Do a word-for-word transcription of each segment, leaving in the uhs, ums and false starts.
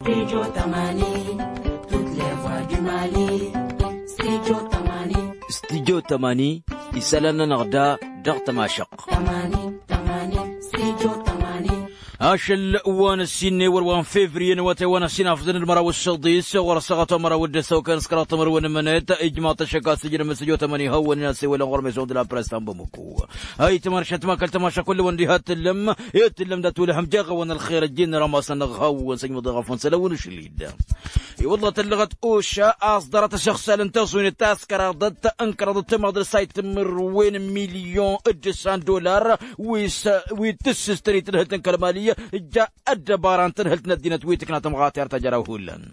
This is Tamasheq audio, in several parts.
Studio tămani, toutes les voix du Mali. Studio tămani. Studio tămani, isălan-nănăɣ da dăɣ-tămašăɣt. Tămani, tămani, studio tămani. Ašăl wa n-ăssinne wăr wa n-fevriye n-awătay wa n-ăssin afḍăn d-măraw d-săḍis ɣur-ăssaɣăt wa n-măraw d-ăssaw kan s-kăraḍ timǝrwen n-imǝnet ijmaḍ-t ăššăk a-s ǝjrǝm studio tămani hawăn-in asewălăn ɣur-meson d-la press ta n-bamăko. Ayǝtmăr šătma kăl-tămaša kull-wăn diha t-tǝllǝm i-tǝllǝm dat-wǝlhăm jeɣ-awăn ălxer ăjjin n-rămasăn-năɣ hawăn-săjmăḍ i-ɣăfăn sălăwăn ašăl-dd. I-wălla tăllăɣăt oša a-s ḍarăt asăɣsal n-taẓunet ta s-kăraḍăt n-kăraḍăt timaḍ d-sayt timǝrwen n-milyon d-ǝssan dolar wi s-wi tǝssǝstăn i-tǝdhǝlt n-kăl-mali ǝjja ăddăbara n-tǝdhǝlt n-ăddinăt wi tǝkna tămɣatert ta jăraw hullan.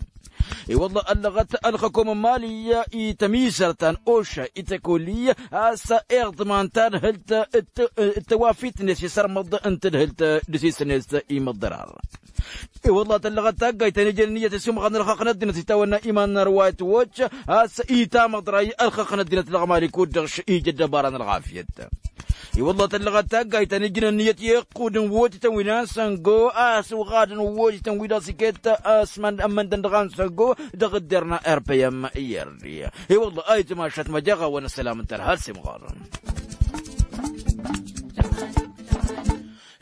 I-wălla ăllăɣăt ălxăkom n-mali i-tămizărt ta n-oša i-tăkoli a-s iɣḍman tadhǝlt d-tăwafit-net i-sărmăḍ n-tǝdhǝlt d-sisnet i-măḍḍărar. I-wălla tăllăɣăt taggayt ta n-ijăn ǝnniyăt ăsimɣar n-ălxaqq n-ăddinăt itawănna iman n-ărwayăt wăcc a-s itamăḍray ălxaqq n-ăddinăt dăɣ-mali kud-dăɣ š-ija ăddăbara n-ălɣafyăt. I-wălla tăllăɣăt taggayt ta n-ijăn ǝnniyăt i-iqqudăn wotităn wi n-ansăngo a-s uɣadăn wotităn wi dăɣ-s iket a-s ămmăndăn dăɣ-ansăngo dăɣ-ǝdder n-rpm i-erdi. I-wălla ayǝtmašat măjeɣ-awăn ăssălam n-tărha ălsimɣar.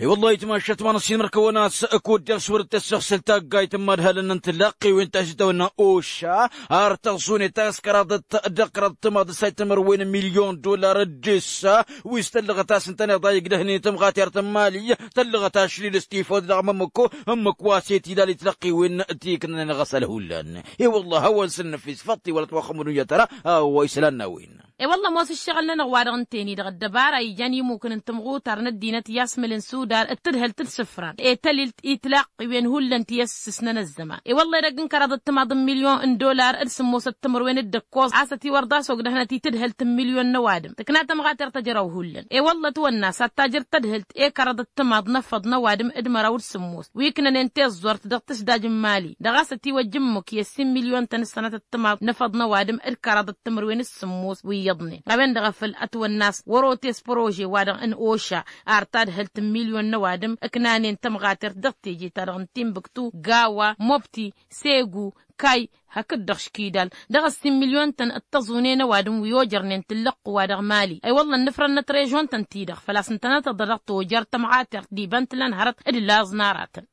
I-wălla ayǝtmašat ma n-ăssinmăr-kăwăn a-s kud-dăɣ s-wăr-dd-tăssăɣsăl taggayt n-imadhalăn n-tilăqqiwen ta s-itawănna oša ar tăẓune ta s-kăraḍăt dăɣ-kăraḍăt timaḍ d-sayt timărwen n-milyon dolar d-ǝssa wi s-tăllăɣăt a-s ǝntăneḍ a igdăhnen tămɣatert n-mali tăllăɣăt ašli d-ăstifăwăd dăɣ-mămmăko ǝmmǝk wa s-e-tilal i-tilăqqiwen ti ǝknănen ɣas ălhullan. I-wălla hawăn-săn năfis făṭṭi wăla t-wa xămădun i-ad-tăra a-wa isălan n-a-wen. I-wălla ămoos ǝššăɣǝl-nănăɣ wa dăɣ-ǝnta-en-i-dăɣ ăddăbara ijan imukǝn n-tǝmɣutar n-ăddinăt i-asmǝl n-sudar d-tǝdhǝlt d-isǝfran i-tălilt i-tilaqqiwen hullan ti ăssǝsnăn ăzzăman. I-wălla edăgg n-kăraḍăt timaḍ n-milyon n-dolar d-sǝmmosăt timǝrwen d-ǝkkoẓ a-s ătiwăr d-asogdăhnăt i-tǝdhǝlt n-milyon n-ăwadǝm tǝkna tămɣatert ta jăraw hullan. I-wălla ătwănna s-ad-tajǝrt tădhǝlt i-kăraḍăt timaḍ n-efăḍ n-ăwadǝm d-măraw d-sǝmmos wi ǝknănen tiẓẓurt dăɣ-tǝsdaj n-mali dăɣ-a-s ătiwăjj ǝmmǝk i-ăssin milyon-tăn ǝssănătăt timaḍ n-efăḍ n-ăwadǝm d-kăraḍăt timǝrwen s-sǝmmos wi iyyăḍnen. A-wen-dăɣ a făl ătwănna a-s wăr-otes prože-wa-dăɣ n-oša ar tadhǝlt n-milyon n-ăwadǝm ǝknanen tămɣatert dăɣ-teje-ta-dăɣ n-timbuktu gawa mobti segu kay hakd-dăɣ škidal dăɣ-ăssin milyon-tăn d-tăẓune n-ăwadǝm wi ojărnen tǝllăqq-wa-dăɣ mali. I-wălla ănnăfrănnăt režon-tăn-ti-dăɣ făl-a-s ǝntănăt-dd dăɣ-tojăr tămɣatert d-iba n-tǝla n-hărăt d-laẓ n-aratăn.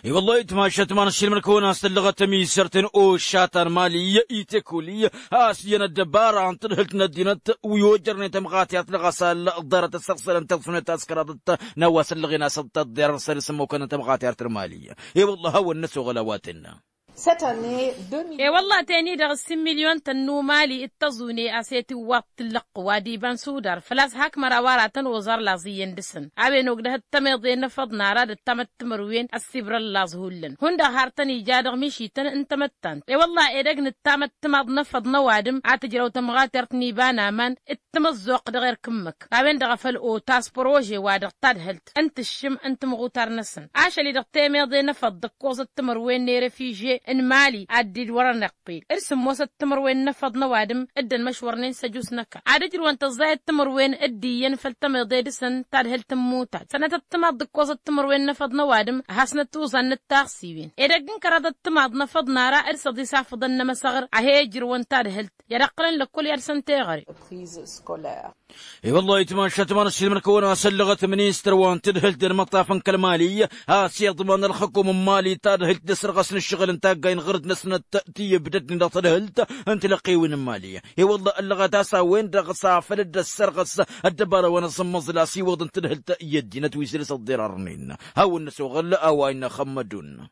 I-wălla-hi tǝmašat ma n-ăssiilmăd-kăwăn a-s tăllăɣăt ămiisărt n-oša ta n-mali i-tekoli a-s iyyăn ăddăbara n-tǝdhǝlt n-ăddinăt wi ojărnen tămɣatert dăɣ-asal ḍarăt ăssăɣsălăn tiẓẓunet ta s-kăraḍăt n-a-wa s-ăllăɣen a-s ăḍḍăḍḍerăr săr-isǝmmukăn tămɣatert n-mali. I-wălla hawăn-năsoɣăl a-wa tǝnnă. Cette année deux millions. E-wălla-hi ten-i-dăɣ ǝssin milyon-tăn n-umali d-tăẓune a-s e-tiwwaḍ tǝllăqq wa d-iba n-sudar făl-a-s hak măraw aratăn oẓar laẓ iyyăn dăɣ-săn. A-wen ogdăhăt tămeḍe n-efăḍ n-ara d-ăttamăt timărwen ăssibrăn laẓ hullan hundăɣ har tăn-ija dăɣ-mišităn n-tamăttant. E-wălla edăgg n-ăttamăt timaḍ n-efăḍ n-ăwadǝm a tǝjrăw tămɣatert n-iba n-aman d-tamăẓẓoqt dăɣ-erk ǝmmǝk. A-wen-dăɣ a făl otas prože-wa-dăɣ tadhǝlt n-tǝššǝm n-timɣutar-năsăn ašăl-i-dăɣ temeḍe n-efăḍ d-ǝkkoẓăt timărwen n-erefiže n-mali ad-dd-wărăn iqqil d-sǝmmosăt timărwen n-efăḍ n-ăwadǝm dd-ănmăšwărnen s-ăjus n-ăkall ad-ǝjrǝwăn tăẓẓayăt timărwen dd-iyyăn făll-tămeḍe dăɣ-săn tadhǝlt n-imutad sănătăt timaḍ d-ǝkkoẓăt timărwen n-efăḍ n-ăwadǝm. Hasnăt tuẓan n-ǝttaɣsiwen edăgg n-kăraḍăt timaḍ n-efăḍ n-ara d-săḍis afǝḍăn n-emăsăɣr a he-ijrǝwăn tadhǝlt i-ad-ǝqqǝlăn lăkkol i-ad-săn teɣăre. I-wălla-hi tǝmašat ma n-ăssiilmăd-kăwăn a-s ăllăɣăt ministăr wa n-tadhǝlt d-ălmăṭṭaf n-kăl-mali a-s iḍman ălxăkum n-mali tadhǝlt d-asărɣăs n-ǝššăɣǝl n-taggay n-ɣărăt-năsnăt ti ǝbdădnen dăɣ-tadhǝlt n-tilăqqiwen n-mali. I-wălla ăllăɣăt a-s a-wen-dăɣ s-afăl dd-ăssărɣăs ăddăbara wa n-asǝmmăẓǝl a-s iwwăḍ n-tadhǝlt i-ăddinăt wi săr-s ăḍḍirărnen. Hawăn-năsoɣăl a-wa innă xămmădun.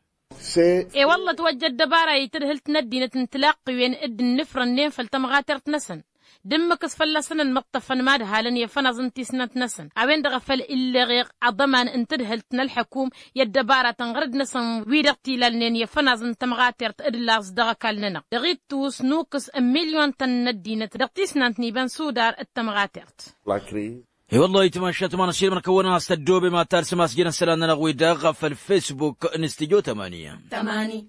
E-wălla ătwăjja ăddăbara i-tadhǝlt n-ăddinăt n-tilaqqiwen dd-ǝnnǝfrănnen făll-tămɣatert-năsăn d-ǝmmǝk s-fălla-săn ănmăṭṭăfăn mad-halăn i-afănaẓ n-tisnant-năsăn. A-wen-dăɣ a făl illeɣeɣ aḍăman n-tadhǝlt n-ălḥăkum i-ăddăbaratăn ɣărăd-năsăn wi-dăɣ t-ilalnen i-afănaẓ n-tămɣatert d-laẓ dăɣ-ăkall-nănăɣ dăɣ-ittus nukǝs n-milyon-tăn n-ăddinăt dăɣ-tisnant n-iba n-sudar d-tămɣatert. I-wălla-hi tǝmašat ma n-ăssiilmăd-kăwăn a-s tăddoobem ad-talsăm asjăn isălan-nănăɣ-wi-dăɣ făll-facebook n-studyo tămani. Tămani.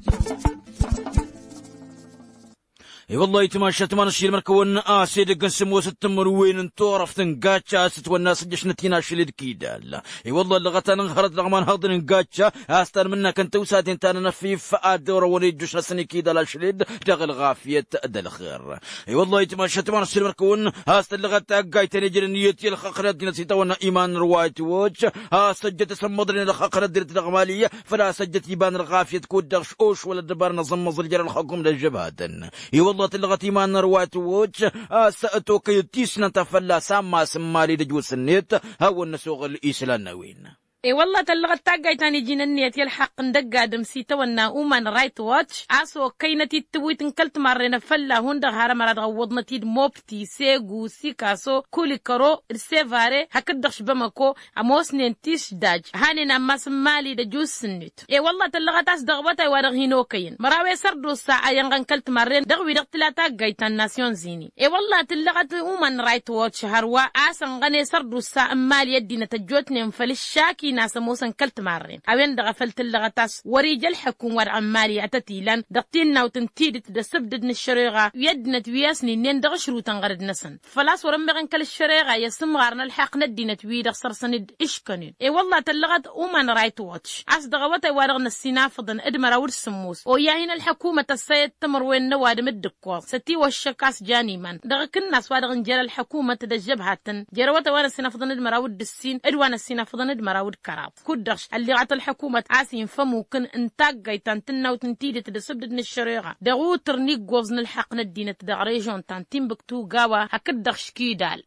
I-wăllah ayǝtmašat ma n-ašilmăr-kăwăn a-s edăgg n-sǝmmosăt timǝrwen n-turăft n-gacca a-s ătwănna a-s ǝjjăšnăt-in ašăl d-kidal. I-wăllah ăllăɣăt-anăɣ hărăt dăɣ-imanhăḍăn n-gacca a-s tanmǝnnak n-tawsaten ta n-anăfif ad-dd-orăwăn ejjuš-năsăn ikidal ašăl d-dăɣ-ălɣafyăt d-ălxer. I-wăllah ayǝtmašat ma n-ašilmăr-kăwăn a-s tăllăɣăt taggayt ta n-ejănăn iyyăt i-ălxaqq n-ăddinăt s-itawănna iman n-ălwayt watch a-s ăjjăt asǝmmăḍnen ălxaqq n-ăddinăt dăɣ-mali făl-a-s ăjjăt iba n-ălɣafyăt kud-dăɣ š-ošwăl ăddăbar n-aẓǝmmăẓ ǝljer ălxăkum d-ăžžăbhatăn. I-wăllah tǝllăɣăt iman n-ălwayt watch a-s tokăyăt tisnant a fălla-s ammas n-mali d-ăjos-net hawăn-năsoɣăl islan n-a-wen. I-wăllah tăllăɣăt taggayt ta n-iji n-ǝnniyăt i-ălxaqq n-dăgg-adǝm s-itawănna uman right watch a-s okăynăt-dd tǝwwit n-kăl-timarren afălla hundăɣ har ămăra dăɣ-ăwwăḍnăt-dd mopti segu sikaso kulikăro d-sevare hakd-dăɣ š-bamăko. Ămoosnen tišdaj hanen ammas n-mali d-ăjus-net. I-wăllah tăllăɣăt a-s dăɣ-awătay wa dăɣ-hin-okăyăn măraw i-sărdusa a iyănɣăn kăl-timarren dăɣ-wi-dăɣ tǝla taggayt ta n-nasyon zini. I-wăllah tǝllăɣăt uman right watch hărwa a-s ănɣăn i-sărdusa n-mali ăddinăt ăjjootnen făll-ǝššak-in a-s ămoosăn kăl-timarren a-wen-dăɣ a făl tǝllăɣăt a-s wăr-ija ălḥăkum wa dăɣ-n mali ad-tăt-ilan dăɣ-tinnawt n-tidǝt d-asǝbdǝd n-ăššăreɣa wi ăddinăt wi ăsnǝnnen dăɣ-ašrutăn ɣărăd-năsăn. Făl-a-s wăr-ămmeɣăn kăl-ăššăreɣa i-asǝmɣar n-ălḥaqq n-ăddinăt-wi-dăɣ săr-săn dd-ǝškănen. I-wălla tăllăɣăt uman right watch a-s dăɣ-awătay wa dăɣ-năssinafăḍăn d-măraw d-sǝmmos oyya hin-ălḥăkumăt ăssayăt timǝrwen n-ăwadǝm d-ǝkkoẓ s-ătiwăššăk a-s jan iman dăɣ-akǝnnas wa dăɣ-nǝjăr ălḥăkumăt d-ăžžăbhatăn jer-awătay wa năssinafăḍăn d-măraw d-ǝssin d-wa năssinafăḍăn d-măraw d-kăraḍ. Kud-dăɣ ălliɣăt ălḥăkumăt a-s infa ămukǝn n-taggayt ta n-tǝnnawt n-tidǝt d-asǝbdǝd n-ăššăreɣa dăɣ-utǝr n-iggoẓ n-ălḥăqq n-ăddinăt dăɣ-režon ta n-timbǝktu gawa hakd-dăɣ škidal.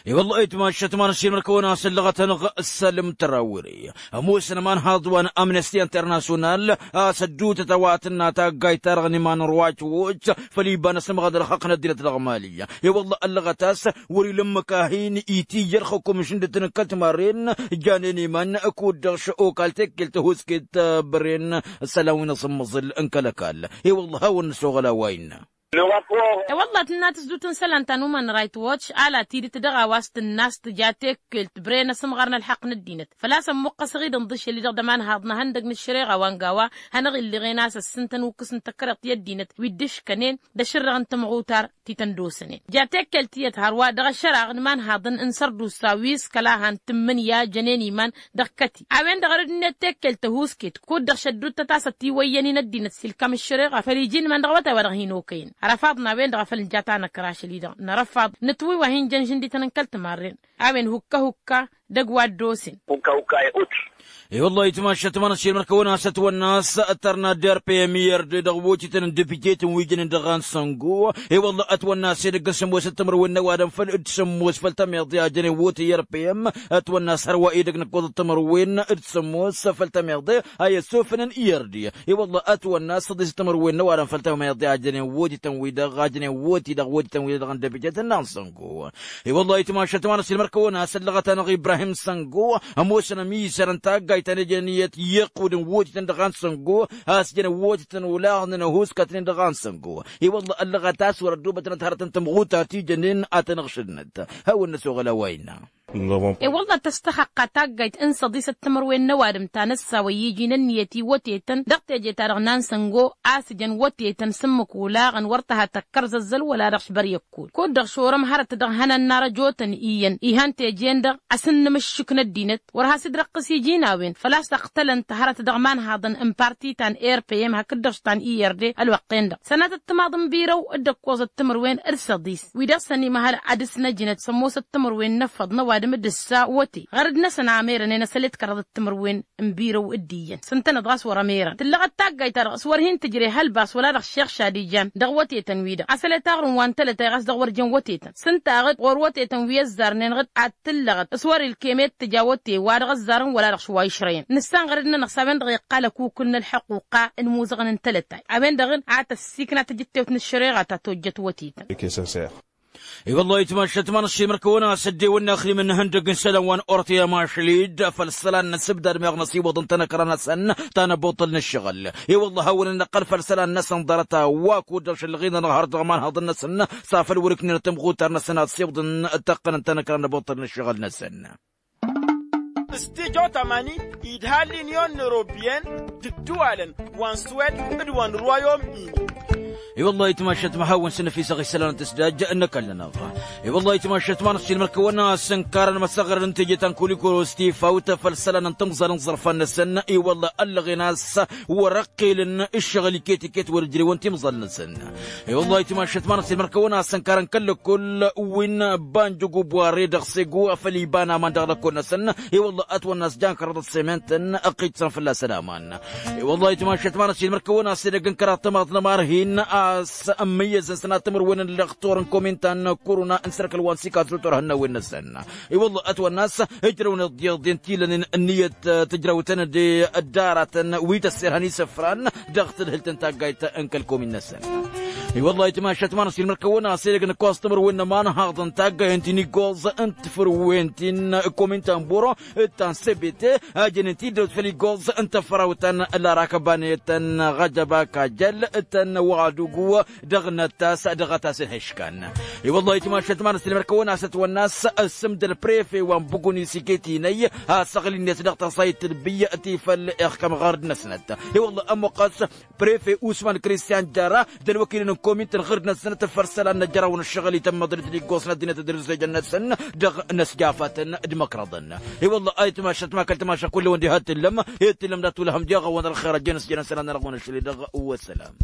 I-wălla ayǝtmašat ma n-ašilmăr-kăwăn a-s ăllăɣăt-anăɣ sălǝm tărawre ămoosăn ămanhaḍ wa n-amnesti internasyonal a-s ădduutăt a-wa tǝnna taggayt-ta-dăɣ n-iman n-ruwaj woc făll-iba n-asǝmɣad ălxaqq n-ăddinăt dăɣ-mali. I-wălla ăllăɣăt a-s wăr-ila ǝmmǝk a hin-itija ălxukum šǝndǝtăn n-kăl-timarren janen iman kud-dăɣ š-okal tekkelt ăhusket băren isălan wi n-asǝmmăẓǝl n-kăl-ăkall. I-wălla hawăn-năsoɣăl a-wa innă. I-wălla tǝnna tǝzdut n-isălan ta n-uman right watch ala tidǝt dăɣ-a-wa s-tǝnna s-tǝja tekkelt băren asǝmɣar n-ălḥăqq n-ăddinăt făl-a-s ămmuqqăsăɣ-dd ǝnḍǝšel-i-dăɣ d-ămanhaḍ n-ehăndăg n-ăššăreɣa wa n-gawa hanăɣ-illiɣen a-s ăssintăn ukǝs n-tăkkărăɣt i-ăddinăt wi dd-ǝškănen d-ašǝrrăɣ n-timɣutar ti tăn-dd-osănen. Ja tekkelt iyyăt hărwa dăɣ-ašăraɣ n-imanhaḍăn n-sărdusa wi s-kăla han tǝmmǝnǝya jănen iman dăɣ-kăti a-wen-dăɣ ărǝd-net tekkelt ăhusket kud-dăɣ šădduttăt a-s ătiwăyyăn-in ăddinăt s-ilkam ăššăreɣa făll-iji n-iman dăɣ-awătay wa dăɣ-hin-okăyăn. Ărăfaḍ n-a-wen-dăɣ a făl nǝja tanăkra ašăl-i-dăɣ nărăfaḍ nǝtwǝy wa hin-jăn žǝndităn n-kăl-timarren. A-wen hukka-hukka dăgg-wa dd-osen. I-wălla ayǝtmašat ma n-ašilmăr-kăwăn a-s ătwănna a-s tărna d-rpm i-ărde dăɣ-wotităn n-depite-tăn wi jănen dăɣ-an săngo. I-wălla ătwănna a-s edăgg n-sǝmmosăt timǝrwen n-ăwadǝm făll-dd-sǝmmos făll-tămiḍe a jănen wote i-rpm. Ătwănna a-s hărwa edăgg n-ǝkkoẓăt timǝrwen d-sǝmmos făll-tămiḍe a i-ăssofănăn i-ărde. I-wălla ătwănna a-s ăḍisăt timǝrwen n-ăwadǝm făll-tămiḍe a jănen wotităn-wi-dăɣ a jănen woti dăɣ-wotităn-wi-dăɣ n-depite-tăn n-an săngo. I-wălla ayǝtmašat ma n-ašilmăr kăwăn a-s ăllăɣăt-anăɣ ibrahim săngo ămoosăn ămizăr n-taggayt ta n-ejăn iyyăt iyyăqud n-wotităn dăɣ-an săngo a-s jăn wotităn olaɣnen ăhuskătnen dăɣ-an săngo. I-wălla ăllăɣăt a-s wăr-ăddubătnăt hărăt n-tămɣutar ti jănen ad-tăn-ăɣšǝdnăt. Hawăn-năsoɣăl a-wa innă. E-wălla tăstăxăqqa taggayt n-săḍisăt timǝrwen n-ăwadǝm ta n-ăssawăyy iji n-ǝnniyăt i-wătetăn dăɣ-teje-ta-dăɣ n-ansăngo a-s ǝjăn wătetăn s-ǝmmǝk olaɣăn wăr tăha tăkkăr zăzzăl wăla dăɣ-s băryăkkol kud-dăɣ šorăm hărăt dăɣ-ihănan n-arăjotăn iyyăn ihăn teje-en-dăɣ. Asǝnnǝmǝššǝk n-ăddinăt wăr has-dd-răqqǝs iji n-a-wen făl-a-s ăqtălăn-t hărăt dăɣ-imanhaḍăn n-parti ta n-rpm hakd-dăɣ s-ta n-irde ălwăqqen-dăɣ sănatăt timaḍ n-birăw d-ǝkkoẓăt timǝrwen d-săḍis wi dăɣ-săn imăhăl ad-dăr-s năjnăt s-ămoosăt timǝrwen n-efăḍ n-ăwadǝm d-ǝssa wăte ɣărăd-năsăn a merănen asălet kăraḍăt timǝrwen n-birăw d-iyyăn s-ǝntăneḍ ɣas wăr-ămerăn tǝllăɣăt taggayt-ta-dăɣ s-wăr hin-tǝjre hălba s-wăla dăɣ-šeɣ šad ijan dăɣ-wătetăn-wi-dăɣ asălet aɣrǝm wa n-tălătay ɣas dăɣ-wăr jăn wătetăn s-ǝnta a ɣǝd ɣur-wătetăn wi ăzzarnen ɣǝd-ad-tǝllăɣăt s-wăr-ilkem i-d tǝja wăte wa dăɣ-ăzzarăn wăla dăɣ-s wa išrăyăn nǝssan ɣărăd-nănăɣ s-a-wen-dăɣ iqqal ăkukǝl n-ălḥăquqa n-imuzăɣăn n-tălătay a-wen-dăɣ a tăssikna tǝjǝttewt n-ăššăreɣa ta tojjăt wătetăn. I-wăllah ayǝtmašat ma n-ašilmăr kăwăn-as ăddewănna ăxrimăn n-ihăndăg n-isălan wa n-ortăy amašlid făll-isălan n-asǝbdad meɣ n-ăsiwăḍăn tanăkra-năsăn ta n-ăbuṭṭǝl n-ǝššăɣǝl. I-wăllah hawăn-ănnăqqăl făll-isălan-năsăn ḍarăt a-wa kud-dăɣ šăllăɣ-in-anăɣ hărăt dăɣ-imanhăḍăn-năsăn s-afăl wăr-iknǝnăt timɣutar-năsăn ad-siwǝḍăn ăttăqqănăn tanăkra n-ăbuṭṭǝl n-ǝššăɣǝl-năsăn. Stijo tamani idha l-inyon n-orobiyen d-ǝddǝwalăn wa n-swed d-wa n-rwayom-in. I-wăllah ayǝtmašat ma hawăn-sǝnnăfisăɣ isălan n-tǝsdaj n-ăkall-nănăɣ. I-wăllah ayǝtmašat ma n-ăssiilmăr-kăwăn-asăn karăn măsăɣrăn n-teje ta n-kulikoro s-tifaw tăfăl isălan n-timẓal n-iẓărfan-năsăn i-wăllah ăllăɣen a-s wăr-ăqqelăn ǝššăɣǝl iket-iket wăr-ǝjrewăn timẓal-năsăn. I-wăllah ayǝtmašat ma n-ăssiilmăr-kăwăn-asăn karăn kăl-lăkkol wi n-banj ăgg-ubware dăɣ-segu făll-iba n-aman dăɣ-lăkkol-năsăn. I-wăllah ătwănna a-s jankărăḍ ăssementen ăqqičsăn fălla-săn aman. I-wăllah ayǝtmašat ma n-ăssiilmăr-kăwăn-asăn edăgg n-kăraḍ tămaḍt n-ămarhin a-s ămmăyyăzăn sănat timǝrwen n-lăxtur n-komin ta n-kuruna n-săr-kăl wa n-sikaẓu turhǝnnawen-năsăn. I-wăllah ătwănna a-s ǝjrăwăn iḍeḍen tilănen ǝnniyăt tǝjrăwtăn d-ăddaratăn wi tăsserhăn isǝfran dăɣ-tǝdhǝlt n-taggayt n-kăl-komin-năsăn. I-wăllah ayǝtmašat ma n-ăssiilmăr-kăwăn-asăn edăgg n-ǝkkoẓ timǝrwen n-ămanhaḍ n-taggay ǝnti-nin igoẓ n-tafărwen ti n-komin ta n-boro d-ta n-sebete a jănen tiddăwt făll-igoẓ n-tafărawt ta n-larakăbanăyăt ta n-ɣajăba kajăl ta n-wăɣadugu dăɣ-năttas dăɣ-atas n-hăškan. I-wăllah ayǝtmašat ma n-ăssiilmăr-kăwăn-asăn ătwănna a-s ǝssǝmdăl prefe wa n-bǝgun isiket-inăy a săɣli-net dăɣ-tasayt tǝlbǝy ti făll-ixkăm ɣărd-năsnăt. I-wăllah ămmuqqăs prefe usman kristian jara d-ălwăkil n-komin tǝlɣǝrd-năsnăt făr isălan n-ejărawăn ǝššăɣǝl itămmăḍ d-tǝliggosnăt dinăt d-ărǝzzejăn-năsăn dăɣ-inăsjafătăn d-imăkrăḍăn. I-wăllah ayǝtmašat ma kăl-tamaša kull-wăn diha t-tǝllăm i-t-tǝllăm dat-wălhăm diɣăwăn ălxer ăjjeen s-jănăn isălan n-ălɣun ašli dăɣ-wăsălam.